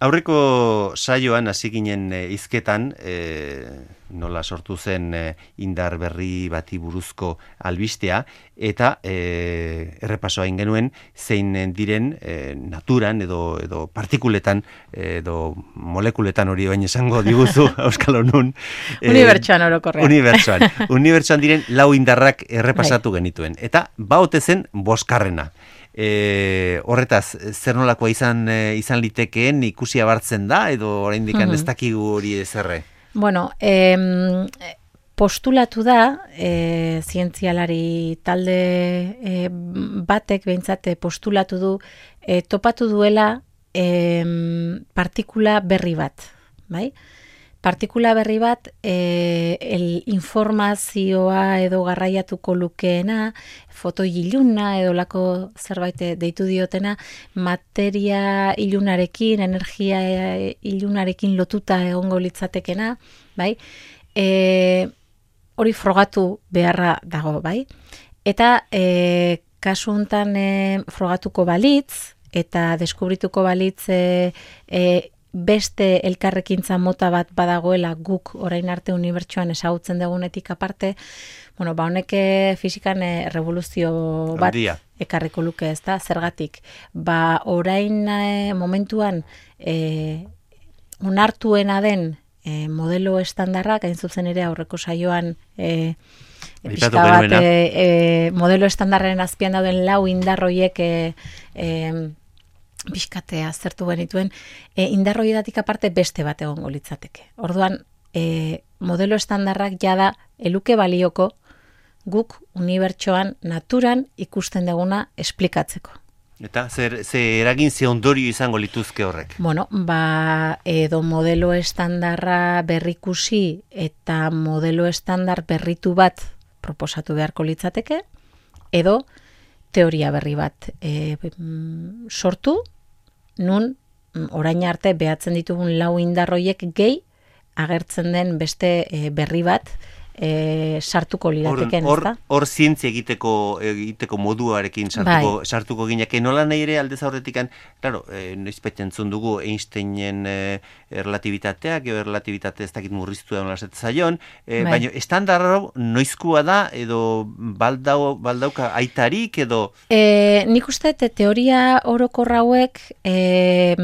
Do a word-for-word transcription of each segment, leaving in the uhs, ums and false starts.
Aurreko saioan hasi ginen e, hizketan, e, nola sortu zen e, indar berri bati buruzko albistea, eta e, errepasoa egin genuen zein diren e, naturan edo, edo partikuletan edo molekuletan hori baino esango diguzu Euskal Honun. E, unibertsoan orokorrean. Unibertsoan. Unibertsoan diren lau indarrak errepasatu genituen. Eta baote zen boskarrena. E, horretaz, zer nolakoa izan, e, izan litekeen ikusi abartzen da, edo oraindik mm-hmm. ez dakigu hori ezerre? Bueno, eh, postulatu da, eh, zientzialari talde eh, batek behintzat postulatu du, eh, topatu duela eh, partikula berri bat, bai? Partikula berri bat, e, el informazioa edo garraiatuko lukeena, foto iluna edo lako zerbait deitu diotena, materia ilunarekin, energia ilunarekin lotuta egongo litzatekena, bai? E, hori frogatu beharra dago, bai? Eta e, kasu hontan e, frogatuko balitz, eta deskubrituko balitz e, e, beste elkarrekintza mota bat badagoela guk orain arte unibertsoan ezagutzen dugunetik aparte, bueno, ba honek fizikan e, revoluzio bat Andia. Ekarriko luke, ez da, zergatik. Ba orain e, momentuan e, onartuena den e, modelo estandarrak, hain zuzen ere aurreko saioan e, pixka bat e, e, modelo estandarren azpian dauden lau indarroiek e, e, pixkatea aztertu genituen, e, indarroietatik aparte beste bat egongo litzateke. Orduan, e, modelo estandarrak jada eluke balioko guk unibertsoan naturan ikusten duguna esplikatzeko. Eta zer, zer eragin ze ondorio izango lituzke horrek? Bueno, ba, edo modelo estandarra berrikusi eta modelo estandar berritu bat proposatu beharko litzateke, edo teoria berri bat e, sortu, nun orain arte behatzen ditugun lau indarroiek gehi agertzen den beste e, berri bat e, sartuko lirateken, hor, ez da? Hor zientzia egiteko, egiteko moduarekin sartuko, bai. sartuko gineke. Nola nahi ere aldez aurretikan, claro, e, noizpait entzun dugu Einsteinen e, erlatibitateak, edo erlatibitate ez dakit murriztu da nola zaion, e, bai. Baina estandarro noizkua da, edo baldau, baldauka aitarik, edo... E, nik uste te, teoria orokorra hauek e,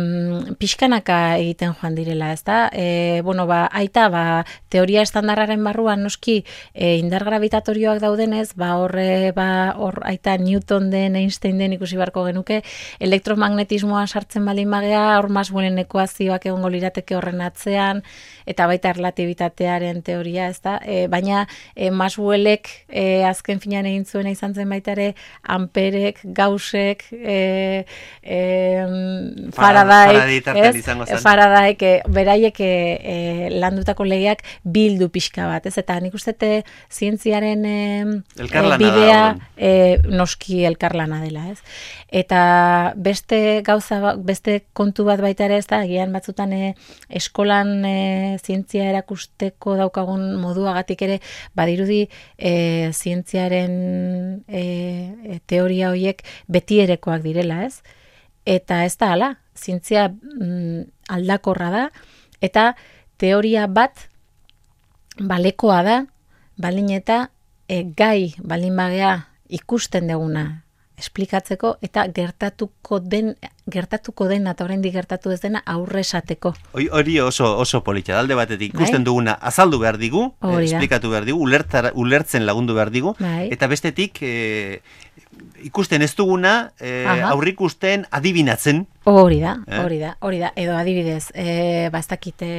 pixkanaka egiten joan direla, ez da? E, bueno, ba, aita, ba, teoria estandarraren barruan noski e, indar gravitatorioak daudenez, ba horre, ba hor aita Newton den, Einstein den ikusi beharko genuke, elektromagnetismoa sartzen baldin bagea, hor Maxwellen ekuazioak egongo lirateke horren atzean, eta baita erlatibitatearen teoria, ez da? E, baina e, Maxwellek e, azken finean egin zuena izan zen baita ere Amperek, Gaussek, e, e, Faraday, Faradayek, e, beraiek e, e, landutako legeak bildu pixka bat, ez? Eta nik uste zientziaren e, e, bidea e, noski elkarlana dela, ez? Eta beste gauza, beste kontu bat baita ere, ez da, agian batzutan e, eskolan e, zientzia erakusteko daukagun moduagatik ere, badirudi e, zientziaren e, e, teoria horiek betierekoak direla, ez? Eta ez da hala, zientzia mm, aldakorra da, eta teoria bat balekoa da, baldin eta e, gai baldin bagea ikusten duguna esplikatzeko eta gertatuko den gertatuko dena eta oraindik gertatu ez dena aurre esateko. Hori oso oso polita, alde batetik ikusten duguna azaldu behar digu, eh, esplikatu behar digu, ulertar, ulertzen lagundu behar digu, bai. Eta bestetik eh, ikusten ez duguna eh, aurrikusten adibinatzen. Hori da, hori da, hori da, edo adibidez, eh, bastakite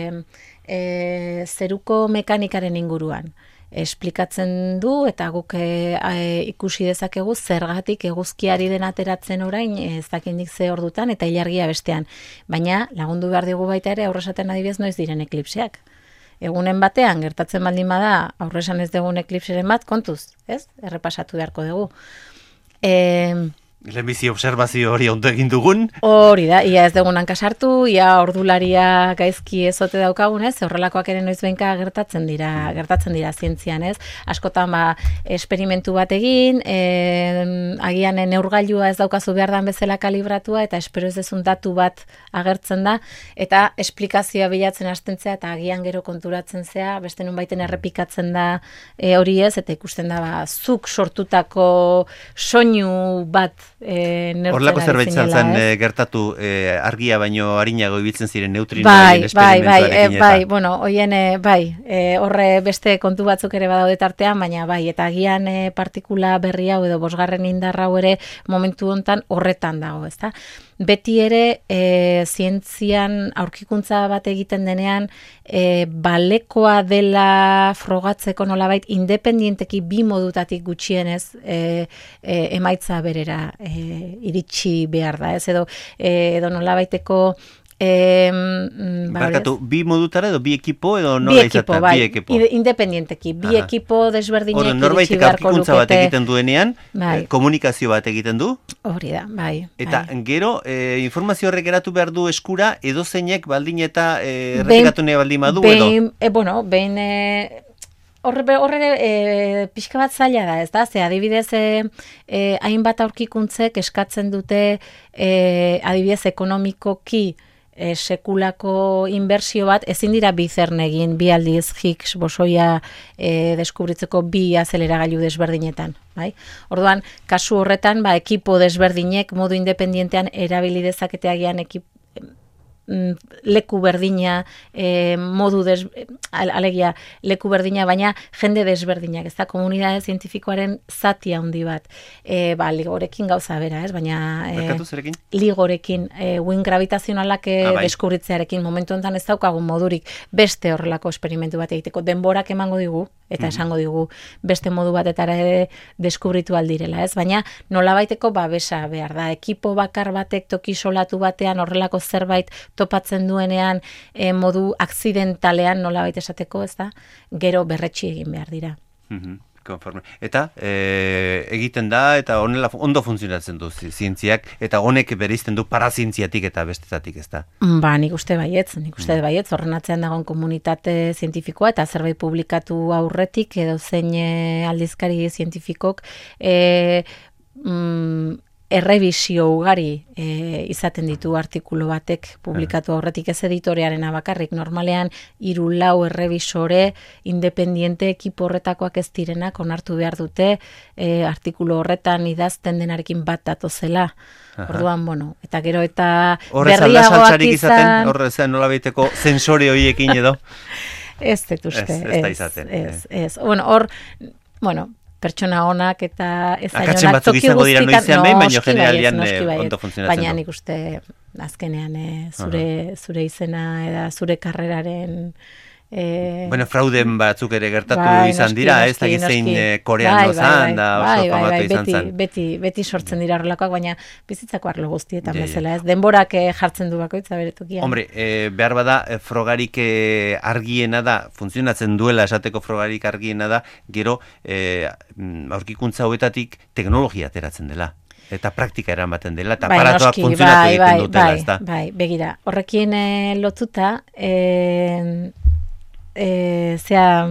eh, zeruko mekanikaren inguruan. Esplikatzen du eta guk e, e, ikusi dezakegu zergatik eguzkiari den ateratzen orain ez dakindik ze ordutan eta ilargia bestean. Baina lagundu behar digu baita ere aurresaten adibidez noiz diren eklipseak. Egunen batean gertatzen baldin bada aurresan ez dugun eklipseren bat kontuz, ez? Errepasatu beharko dugu. E, Lehenbizi observazio hori ondo egin dugun. Hori da, ia ez dugun hankasartu, ia ordularia gaizki ezote daukagunez, horrelakoak ere noiz behinka gertatzen dira, gertatzen dira zientzian, ez? Askotan ba, esperimentu bat egin, e, agian neurgailua ez daukazu behar dan bezala kalibratua, eta espero ez dezun datu bat agertzen da, eta esplikazioa bilatzen hastentzea, eta agian gero konturatzen zea, beste nun baiten errepikatzen da e, hori ez, eta ikusten da, ba, zuk sortutako soinu bat E, Horlako zerbait zen e, gertatu e, argia baino arinago ibiltzen ziren neutrinoen bai, esperimentuarekin bai, eta... Bai, bueno, hoien, bai, e, horre beste kontu batzuk ere badaude tartean, baina bai, eta agian e, partikula berri hau edo bosgarren indarra hau ere momentu hontan horretan dago, ezta? Beti ere, e, zientzian aurkikuntza bat egiten denean, e, balekoa dela frogatzeko nolabait, independienteki bi modutatik gutxienez e, e, emaitza berera e, iritsi behar da, ez edo, e, edo nolabaiteko E, Barkatu, bi modutara edo bi ekipo edo nola izatea? Bai, bi ekipo, independienteki, bi Aha. ekipo desberdinek iritsi beharko lukete. Norbaitek aurkikuntza bat egiten duenean, bai. komunikazio bat egiten du. Hori da, bai. Eta bai. gero, e, informazio horrek geratu behar du eskura, edo zeinek baldin eta e, errepikatu nahi baldin badu edo? E, bueno, behin... E, Horre, horre e, pixka bat zaila da, ez da? Ze adibidez, e, e, hainbat aurkikuntzek eskatzen dute e, adibidez ekonomikoki e, sekulako inbertsio bat, ezin dira bi zern egin, bi aldiz Higgs bosoia e, deskubritzeko bi azeleragailu desberdinetan. Bai? Orduan, kasu horretan, ba, ekipo desberdinek modu independientean erabili dezaketeagian ekip leku berdina, e, modu des, alegia, leku berdina, baina jende desberdinak, ez da, komunidade zientifikoaren zati handi bat. E, ba, ligorekin gauza bera, ez, baina... E, ligorekin, e, win gravitazionalak e, ah, bai. deskubritzearekin, momentu enten ez daukagun modurik beste horrelako esperimentu bat egiteko. Denborak emango digu, eta mm-hmm. esango digu beste modu batetara ere deskubritu aldirela, ez? Baina nolabaiteko babesa behar da. Ekipo bakar batek toki solatu batean horrelako zerbait topatzen duenean e, modu akzidentalean nolabait esateko, ez da? Gero berretsi egin behar dira. Mm-hmm. Konforme. Eta e, egiten da eta honela ondo funtzionatzen du zientziak eta honek bereizten du parazientziatik eta bestetatik, ez da? Ba, nik uste baietz, nik uste mm. baietz, horren atzean dagoen komunitate zientifikoa eta zerbait publikatu aurretik edo zein aldizkari zientifikok e, mm, errebisio ugari e, izaten ditu artikulu batek publikatu aurretik, ez editorearen abakarrik, normalean hiru lau errebisore independiente ekipo horretakoak ez direnak onartu behar dute e, artikulu horretan idazten denarekin bat datozela. Orduan, bueno, eta gero eta berriagoak izan... Horre zen nola behiteko zensore horiekin edo? Ez dut uste. Ez, ez da izaten. Ez, ez. Bueno, hor, bueno, pertsona onak eta ez akatzen batzuk izango dira noizean behin, baina generalian ondo funtzionatzen du. Baina nik uste azkenean e, zure, uh-huh. zure izena eta zure karreraren... E... Bueno, frauden batzuk ere gertatu bai, izan noski, dira, ez da gizein koreano zan, da oso famatu izan beti, zan. Beti, beti sortzen dira horrelakoak, baina bizitzako arlo guztietan yeah, bezala, ez? Denborak eh, jartzen du bakoitza beretokian. Hombre, eh, behar bada, eh, frogarik eh, argiena da, funtzionatzen duela esateko frogarik argiena da, gero eh, aurkikuntza hauetatik teknologia ateratzen dela. Eta praktika eramaten dela, eta bai, aparatuak noski, funtzionatu bai, egiten bai, dutela, bai, ez da? Bai, begira, horrekin eh, lotuta, eh, E, zea,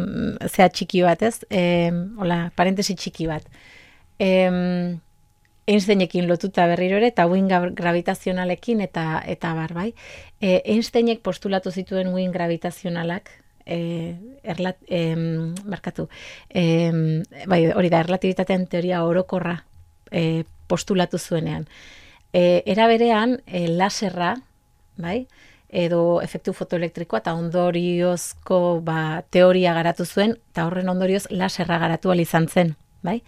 zea txiki bat, ez? E, hola, parentesi txiki bat. E, Einsteinekin lotuta berriro ere, eta win gravitazionalekin, eta eta bar, bai. E, Einsteinek postulatu zituen win gravitazionalak, e, erlat, e, markatu, e, bai, hori da, erlatibitatean teoria orokorra e, postulatu zuenean. E, era berean, e, laserra, bai, edo efektu fotoelektrikoa eta ondoriozko ba, teoria garatu zuen, eta horren ondorioz laserra garatu ahal izan zen, bai?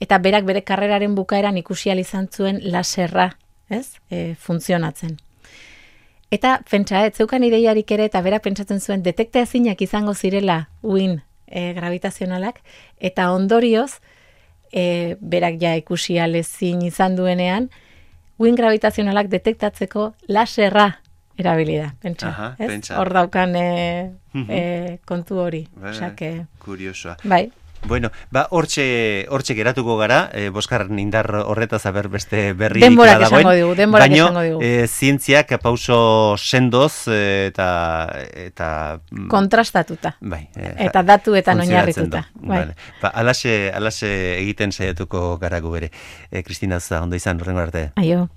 Eta berak bere karreraren bukaeran ikusi ahal izan zuen laserra, ez? E, funtzionatzen. Eta pentsa, ez zeukan ideiarik ere, eta berak pentsatzen zuen detekta ezinak izango zirela uin e, gravitazionalak, eta ondorioz, e, berak ja ikusi ahal ezin izan duenean, uin gravitazionalak detektatzeko laserra erabili da, pentsa. Aha, ez? Hor daukan e, e, kontu hori. Bai, Osea, que... kuriosoa. Bai. Bueno, ba, hortxe, hortxe geratuko gara, e, boskarren indar horretaz aber beste berri denborak esango digu, denborak esango digu. Baina, e, zientziak pauso sendoz e, eta, eta... kontrastatuta. Bai. E, eta datuetan oinarrituta. Bai. Vale. Ba, alaxe, alaxe egiten saiatuko gara gu bere. E, Kristina, ondo izan, horrengo arte. Aio.